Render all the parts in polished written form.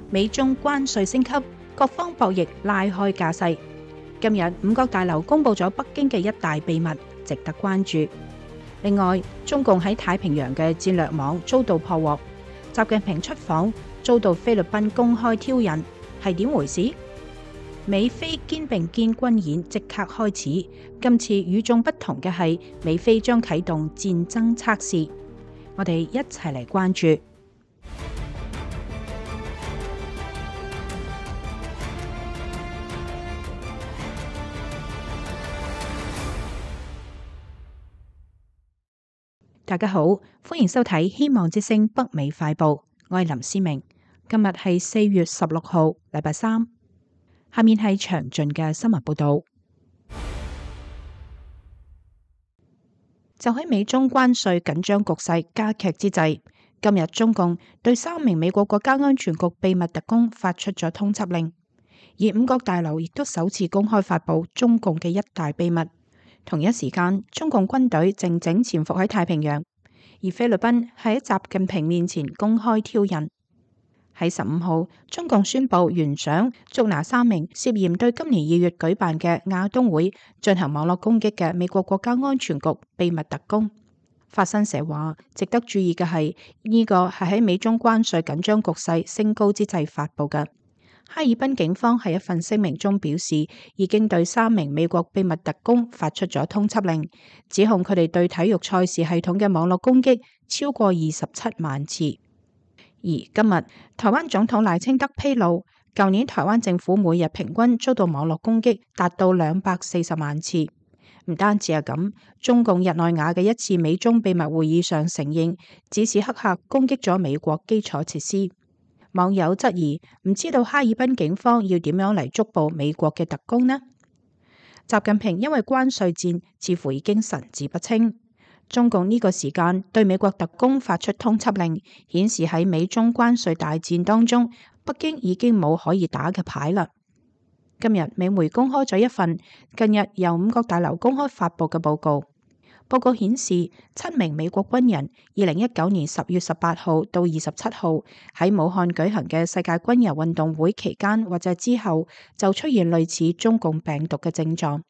美中關稅升級，各方博弈拉開架勢。今日五角大樓公佈咗北京嘅一大秘密，值得關注。另外，中共喺太平洋嘅戰略網遭到破獲，習近平出訪遭到菲律賓公開挑釁，係點回事？美菲肩並肩軍演即刻開始，今次與眾不同嘅係美菲將啟動戰爭測試，我哋一齊嚟關注。大家好，歡迎收睇希望之聲北美快報，我係林思明。今日係4月16號，禮拜三。下面係詳盡嘅新聞報道。就喺美中關稅緊張局勢加劇之際，今日中共對3名美國國家安全局秘密特工發出咗通緝令，而五角大樓亦都首次公開發布中共嘅一大秘密。同一時間，中共軍隊靜靜潛伏喺太平洋，而菲律賓喺習近平面前公開挑釁。喺15號，中共宣布懸賞捉拿3名涉嫌對今年2月舉辦嘅亞冬會進行網絡攻擊嘅美國國家安全局秘密特工。法新社話，值得注意嘅係呢個係喺美中關稅緊張局勢升高之際發布嘅。哈爾濱警方喺一份聲明中表示，已經對3名美國秘密特工發出咗通緝令，指控佢哋對體育賽事系統嘅網絡攻擊超過27萬次。而今日，台灣總統賴清德披露，舊年台灣政府每日平均遭到網絡攻擊達到240萬次。唔單止係咁，中共日內瓦嘅一次美中秘密會議上承認，指使黑客攻擊咗美國基礎設施。網友質疑，唔知道哈爾濱警方要點樣嚟捉捕美國嘅特工呢？習近平因為關稅戰似乎已經神志不清。中共呢個時間對美國特工發出通緝令，顯示喺美中關稅大戰當中，北京已經冇可以打嘅牌啦。今日美媒公開咗一份近日由五角大樓公開發佈嘅報告。報告顯示，7名美國軍人2019年10月18號到27號喺武漢舉行嘅世界軍遊運動會期間或者之後，就出現類似中共病毒嘅症狀。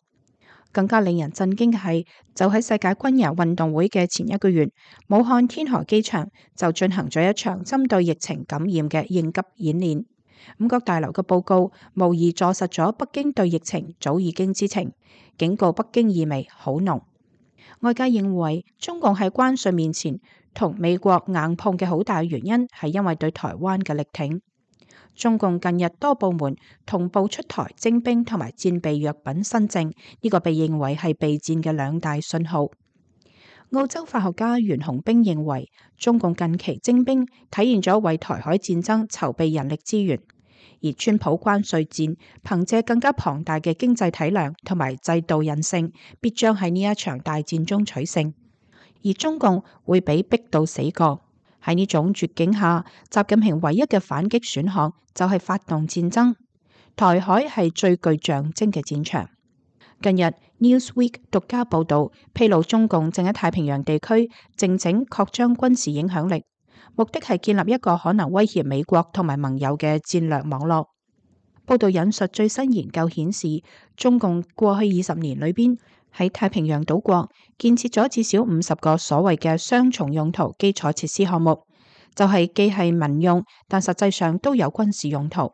更加令人震驚嘅係，就喺世界軍遊運動會嘅前1個月，武漢天河機場就進行咗一場針對疫情感染嘅應急演練。五角大樓嘅報告無疑坐實咗北京對疫情早已經知情，警告北京意味好濃。外界認為中共喺關稅面前同美國硬碰嘅好大原因係因為對台灣嘅力挺。中共近日多部門同步出台徵兵同埋戰備藥品新政，呢個被認為係備戰嘅2大信號。澳洲法學家袁洪兵認為，中共近期徵兵體現咗為台海戰爭籌備人力資源，而川普關稅戰憑借更加龐大嘅經濟體量同埋制度韌性，必將喺呢一場大戰中取勝，而中共會被逼到死角。喺呢種絕境下，習近平唯一嘅反擊選項就係發動戰爭。台海係最具象徵嘅戰場。近日 Newsweek 獨家報道披露，中共正喺太平洋地區靜靜擴張軍事影響力，目的係建立一個可能威脅美國同埋盟友嘅戰略網絡。報道引述最新研究顯示，中共過去20年裏邊喺太平洋島國建設咗至少50個所謂嘅雙重用途基礎設施項目，就係既係民用，但實際上都有軍事用途。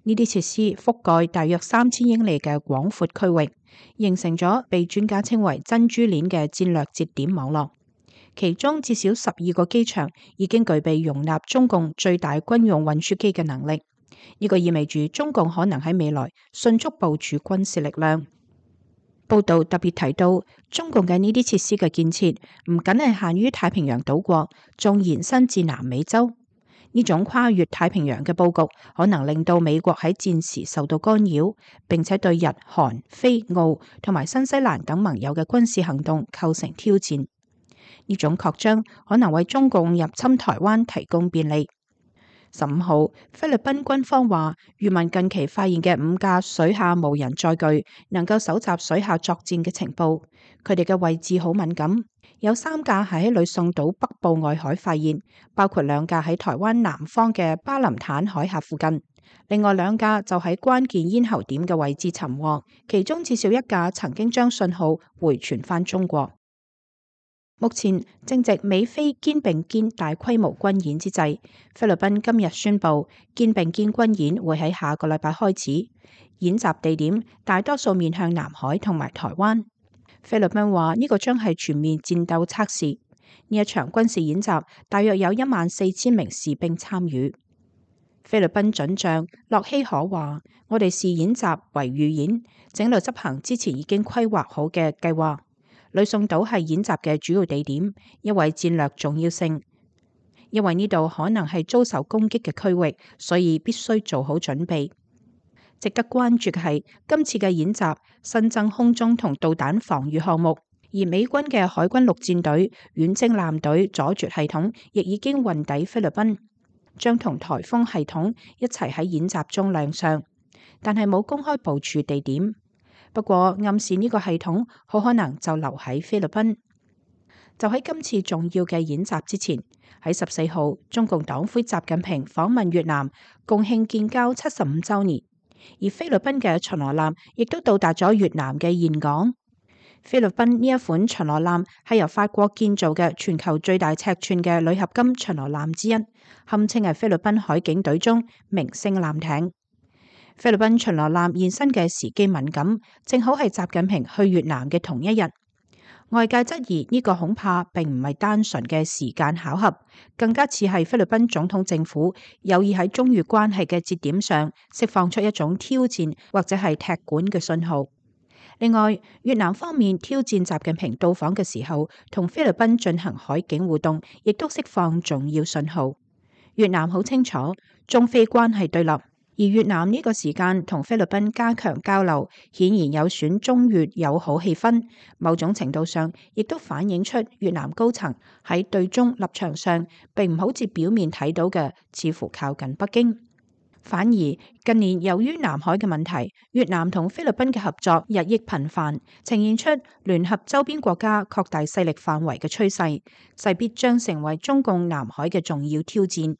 呢啲設施覆蓋大約3000英里嘅廣闊區域，形成咗被專家稱為珍珠鏈嘅戰略節點網絡。其中至少12個機場已經具備容納中共最大軍用運輸機嘅能力。呢個意味住中共可能喺未來迅速部署軍事力量。報道特別提到，中共嘅呢啲設施嘅建設唔僅係限於太平洋島國，仲延伸至南美洲。呢種跨越太平洋嘅佈局，可能令到美國喺戰時受到干擾，並且對日、韓、菲、澳同埋新西蘭等盟友嘅軍事行動構成挑戰。呢種擴張可能為中共入侵台灣提供便利。15號，菲律賓軍方話，漁民近期發現嘅5架水下無人載具能夠搜集水下作戰嘅情報，佢哋嘅位置好敏感，有3架係喺呂宋島北部外海發現，包括2架喺台灣南方嘅巴林坦海峽附近，另外2架就喺關鍵咽喉點嘅位置尋獲，其中至少1架曾經將信號回傳返中國。目前正值美菲肩並肩大規模軍演之際，菲律賓今日宣布肩並肩軍演會喺下個禮拜開始，演習地點大多數面向南海同埋台灣。菲律賓話呢個將係全面戰鬥測試，呢一場軍事演習大約有14000名士兵參與。菲律賓准將洛希可話：我哋視演習為預演，整隊執行之前已經規劃好嘅計劃。呂宋島係演習嘅主要地點，因為戰略重要性，因為呢度可能係遭受攻擊嘅區域，所以必須做好準備。值得關注嘅係今次嘅演習新增空中同導彈防禦項目，而美軍嘅海軍陸戰隊遠征艦隊阻絕系統亦已經運抵菲律賓，將同颱風系統一齊喺演習中亮相，但係冇公開部署地點。不過暗示呢個系統好可能就留喺菲律賓。就喺今次重要嘅演習之前，喺14號，中共黨魁習近平訪問越南，共慶建交75週年。而菲律賓嘅巡邏艦亦都到達咗越南嘅峴港。菲律賓呢一款巡邏艦係由法國建造嘅全球最大尺寸嘅鋁合金巡邏艦之一，堪稱係菲律賓海警隊中明星艦艇。菲律賓巡邏艦現身嘅時機敏感，正好係習近平去越南嘅同一日。外界質疑呢個恐怕並唔係單純嘅時間巧合，更加似係菲律賓總統政府有意喺中越關係嘅節點上釋放出一種挑戰或者係踢館嘅信號。另外，越南方面挑戰習近平到訪嘅時候，同菲律賓進行海警互動，亦都釋放重要信號。越南好清楚中菲關係對立。而越南呢個時間同菲律賓加強交流，顯然有損中越友好氣氛。某種程度上，亦都反映出越南高層喺對中立場上，並唔好似表面睇到嘅，似乎靠近北京。反而近年由於南海嘅問題，越南同菲律賓嘅合作日益頻繁，呈現出聯合周邊國家擴大勢力範圍嘅趨勢，勢必將成為中共南海嘅重要挑戰。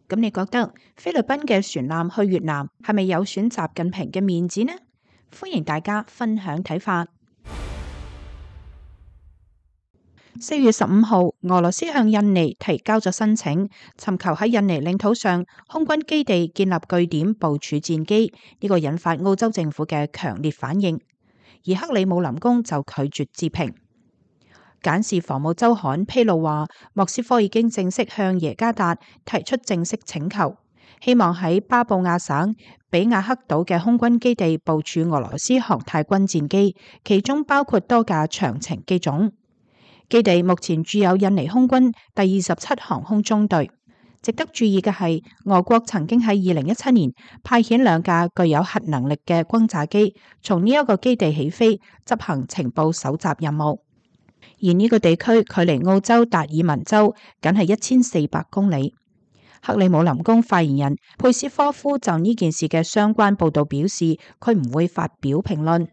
咁你覺得菲律賓嘅船艦去越南係咪有損習近平嘅面子呢？歡迎大家分享睇法。4月15號，俄羅斯向印尼提交咗申請，尋求喺印尼領土上空軍基地建立據點部署戰機，呢個引發澳洲政府嘅強烈反應，而克里姆林宮就拒絕置評。簡氏防務週刊披露話，莫斯科已經正式向耶加達提出正式請求，希望喺巴布亞省比亞克島嘅空軍基地部署俄羅斯航太軍戰機，其中包括多架長程機種。基地目前駐有印尼空軍第27航空中隊。值得注意嘅係，俄國曾經喺2017年派遣2架具有核能力嘅轟炸機，從呢一個基地起飛，執行情報搜集任務。而呢個地區距離澳洲達爾文州僅係1400公里。克里姆林宮發言人佩斯科夫就呢件事嘅相關報導表示，佢唔會發表評論。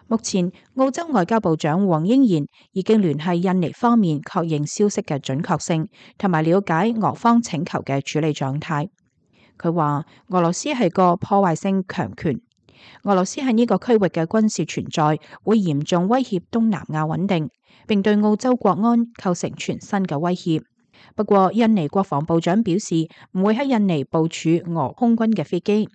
目前澳洲外交部長黃英賢已經聯繫印尼方面確認消息嘅準確性，同埋了解俄方請求嘅處理狀態。佢話俄羅斯係個破壞性強權，俄羅斯喺呢個區域嘅軍事存在會嚴重威脅東南亞穩定，並對澳洲國安構成全新嘅威脅。不過，印尼國防部長表示唔會喺印尼部署俄空軍嘅飛機。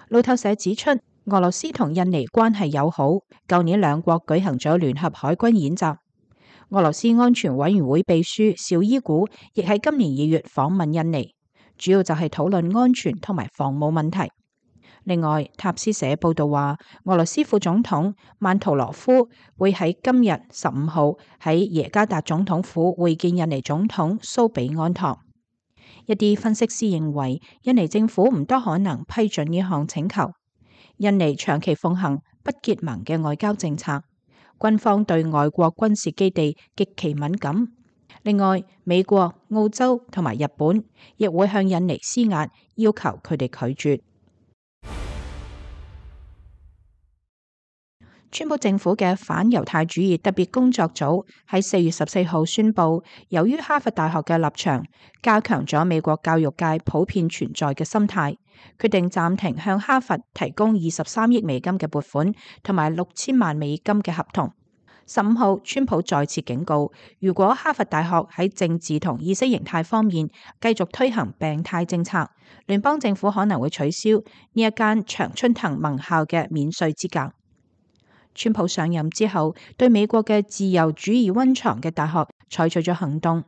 路透社指出，俄羅斯同印尼關係友好，舊年2國舉行咗聯合海軍演習。俄羅斯安全委員會秘書紹伊古亦喺今年2月訪問印尼，主要就係討論安全同埋防務問題。另外，塔斯社報道話，俄羅斯副總統曼圖羅夫會喺今日15號喺耶加達總統府會見印尼總統蘇比安托。一啲分析師認為，印尼政府唔多可能批准呢項請求。印尼長期奉行不結盟嘅外交政策，軍方對外國軍事基地極其敏感。另外，美國、澳洲同埋日本亦會向印尼施壓，要求佢哋拒絕。川普政府嘅反猶太主義特別工作組喺4月14號宣布，由於哈佛大學嘅立場加強咗美國教育界普遍存在嘅心態，決定暫停向哈佛提供23億美金嘅撥款同埋6000萬美金嘅合同。15號，川普再次警告，如果哈佛大學喺政治同意識形態方面繼續推行病態政策，聯邦政府可能會取消呢一間常春藤盟校嘅免稅資格。川普上任之後，對美國嘅自由主義溫床嘅大學採取咗行動。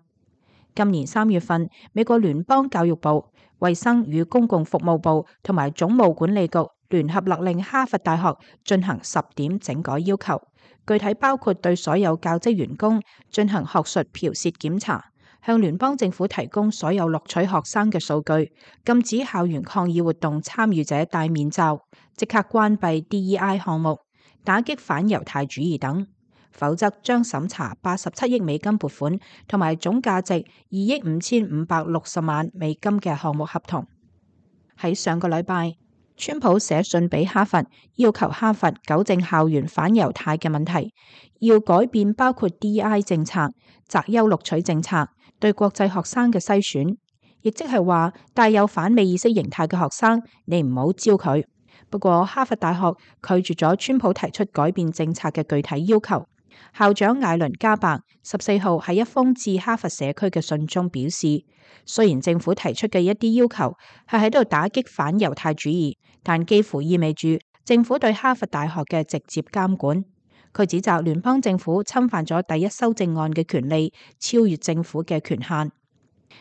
今年3月份，美國聯邦教育部、衛生與公共服務部同埋總務管理局聯合勒令哈佛大學進行10點整改要求，具體包括對所有教職員工進行學術剽竊檢查，向聯邦政府提供所有錄取學生嘅數據，禁止校園抗議活動參與者戴面罩，即刻關閉 DEI 項目，打擊反猶太主義等，否則將審查87億美金撥款同埋總價值2億5560萬美金嘅項目合同。喺上個禮拜，川普寫信俾哈佛，要求哈佛糾正校園反猶太嘅問題，要改變包括 DEI 政策、擇優錄取政策、對國際學生嘅篩選，亦即係話帶有反美意識形態嘅學生，你唔好招佢。不過，哈佛大學拒絕咗川普提出改變政策嘅具體要求。校長艾倫加伯14號喺一封致哈佛社區嘅信中表示，雖然政府提出嘅一啲要求係喺度打擊反猶太主義，但幾乎意味住政府對哈佛大學嘅直接監管。佢指責聯邦政府侵犯咗第一修正案嘅權利，超越政府嘅權限。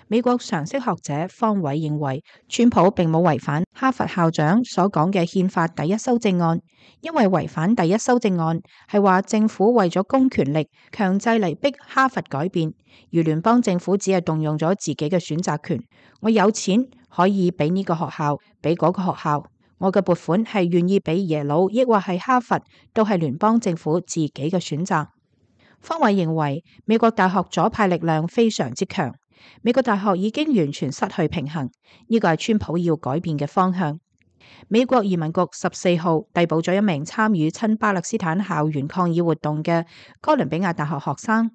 美國常識學者方偉認為，川普並冇違反哈佛校長所講嘅憲法第一修正案，因為違反第一修正案係話政府為咗公權力強制嚟逼哈佛改變，而聯邦政府只係動用咗自己嘅選擇權。我有錢可以俾呢個學校，俾嗰個學校，我嘅撥款係願意俾耶魯，抑或係哈佛，都係聯邦政府自己嘅選擇。方偉認為，美國大學左派力量非常之強。美國大學已經完全失去平衡，呢個係川普要改變嘅方向。美國移民局14號逮捕咗一名參與親巴勒斯坦校園抗議活動嘅哥倫比亞大學學生。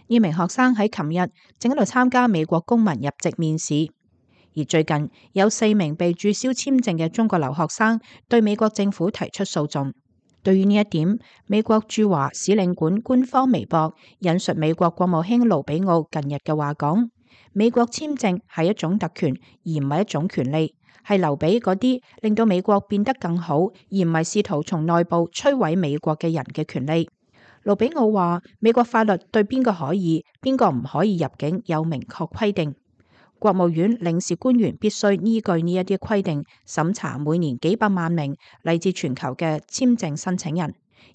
呢名學生喺琴日正喺度參加美國公民入籍面試，而最近有4名被註銷簽證嘅中國留學生對美國政府提出訴訟。對於呢一點，美國駐華使領館官方微博引述美國國務卿盧比奧近日嘅話講，美國簽證係一種特權，而唔係一種權利，係留俾嗰啲令到美國變得更好，而唔係試圖從內部摧毀美國嘅人嘅權利。盧比奧話，美國法律對邊個可以、邊個唔可以入境有明確規定，國務院領事官員必須依據呢一啲規定審查每年幾百萬名嚟自全球嘅簽證申請人。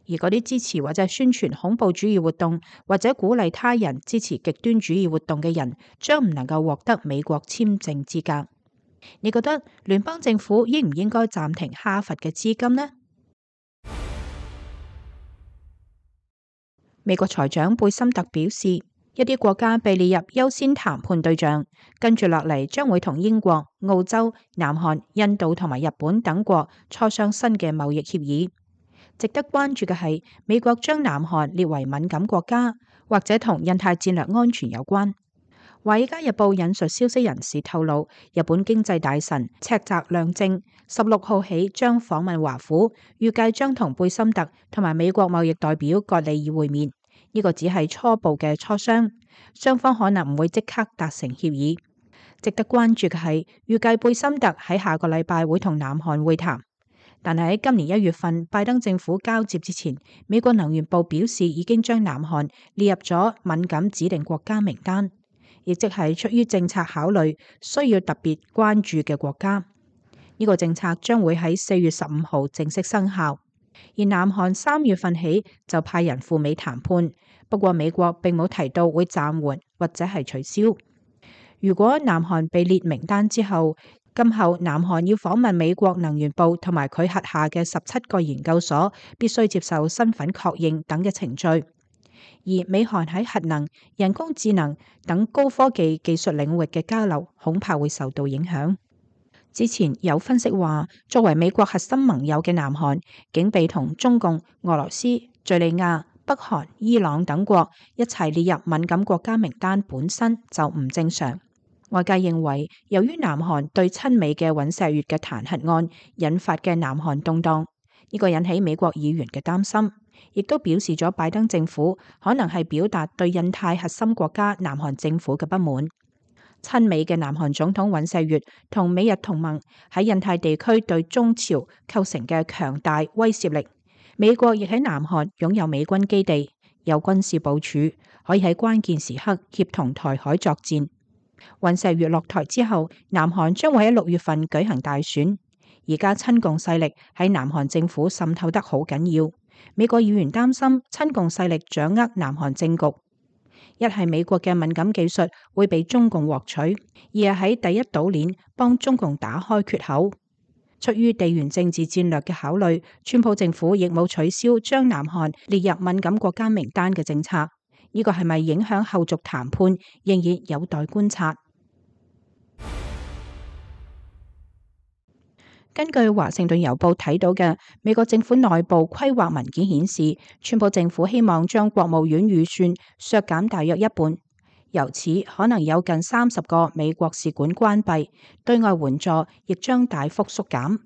而嗰啲支持或者宣傳恐怖主義活動或者鼓勵他人支持極端主義活動嘅人，將唔能夠獲得美國簽證資格。你覺得聯邦政府應唔應該暫停哈佛嘅資金呢？美國財長貝森特表示，一啲國家被列入優先談判對象，跟住落嚟將會同英國、澳洲、南韓、印度同埋日本等國磋商新嘅貿易協議。值得關注嘅係，美國將南韓列為敏感國家，或者同印太戰略安全有關。華爾街日報引述消息人士透露，日本經濟大臣赤澤亮正16號起將訪問華府，預計將同貝森特同埋美國貿易代表葛利爾會面。呢個只係初步嘅磋商，雙方可能唔會即刻達成協議。值得關注嘅係，預計貝森特喺下個禮拜會同南韓會談。但係喺今年1月份拜登政府交接之前，美國能源部表示已經將南韓列入咗敏感指定國家名單，亦即係出於政策考慮需要特別關注嘅國家。呢個政策將會喺4月15號正式生效。而南韓3月份起就派人赴美談判，不過美國並冇提到會暫緩或者係取消。如果南韓被列名單之後，今後南韓要訪問美國能源部同埋佢轄下嘅17個研究所，必須接受身份確認等嘅程序。而美韓喺核能、人工智能等高科技技術領域嘅交流恐怕會受到影響。之前有分析話，作為美國核心盟友嘅南韓，竟被同中共、俄羅斯、敘利亞、北韓、伊朗等國一齊列入敏感國家名單，本身就唔正常。外界認為，由於南韓對親美嘅尹錫悅嘅彈劾案引發嘅南韓動盪，呢個引起美國議員嘅擔心，亦都表示咗拜登政府可能係表達對印太核心國家南韓政府嘅不滿。親美嘅南韓總統尹錫悅同美日同盟喺印太地區對中朝構成嘅強大威懾力，美國亦喺南韓擁有美軍基地，有軍事部署，可以喺關鍵時刻協同台海作戰。尹錫悅落台之後，南韓將會喺6月份舉行大選。而家親共勢力喺南韓政府滲透得好緊要，美國議員擔心親共勢力掌握南韓政局，一係美國嘅敏感技術會被中共獲取，二係喺第一島鏈幫中共打開缺口。出於地緣政治戰略嘅考慮，川普政府亦冇取消將南韓列入敏感國家名單嘅政策。呢個係咪影響後續談判，仍然有待觀察。根據華盛頓郵報睇到嘅美國政府內部規劃文件顯示，川普政府希望將國務院預算削減大約一半，由此可能有近30個美國使館關閉，對外援助亦將大幅縮減。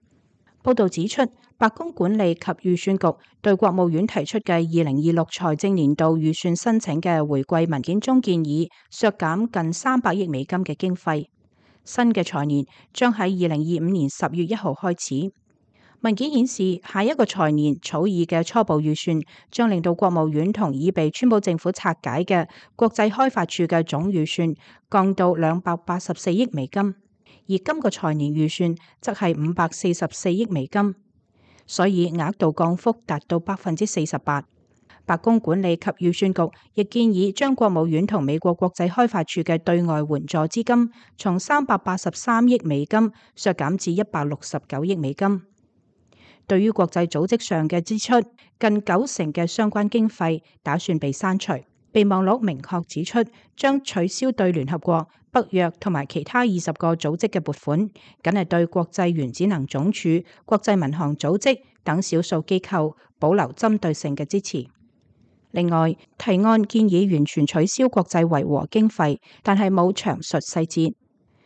報道指出，白宮管理及預算局對國務院提出嘅2026財政年度預算申請嘅回饋文件中建議削減近300億美金嘅經費。新嘅財年將喺2025年10月1號開始。文件顯示，下一個財年草擬嘅初步預算將令到國務院同已被川普政府拆解嘅國際開發處嘅總預算降到284億美金，而今個財年預算則係544億美金，所以額度降幅達到48%。白宮管理及預算局亦建議將國務院同美國國際開發處嘅對外援助資金從383億美金削減至169億美金。對於國際組織上嘅支出，近90%嘅相關經費打算被刪除。備忘錄明確指出，將取消對聯合國、北約同埋其他20個組織嘅撥款，僅係對國際原子能總署、國際民航組織等少數機構保留針對性嘅支持。另外，提案建議完全取消國際維和經費，但係冇詳述細節。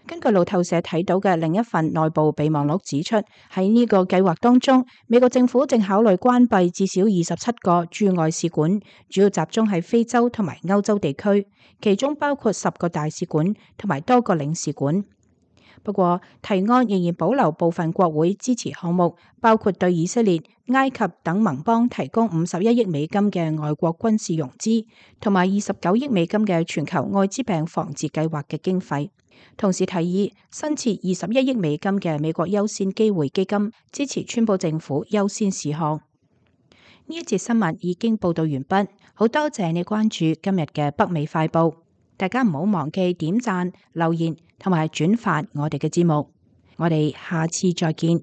根據路透社睇到嘅另一份內部備忘錄指出，喺呢個計劃當中，美國政府正考慮關閉至少27個駐外使館，主要集中喺非洲同埋歐洲地區，其中包括10個大使館同埋多個領事館。不過，提案仍然保留部分國會支持項目，包括對以色列、埃及等盟邦提供51億美金嘅外國軍事融資，同埋29億美金嘅全球愛滋病防治計劃嘅經費。同時提議新設21億美金嘅美國優先機會基金，支持川普政府優先事項。呢一節新聞已經報道完畢，好多謝你關注今日嘅北美快報。大家唔好忘記點讚、留言同埋轉發我哋嘅節目。我哋下次再見。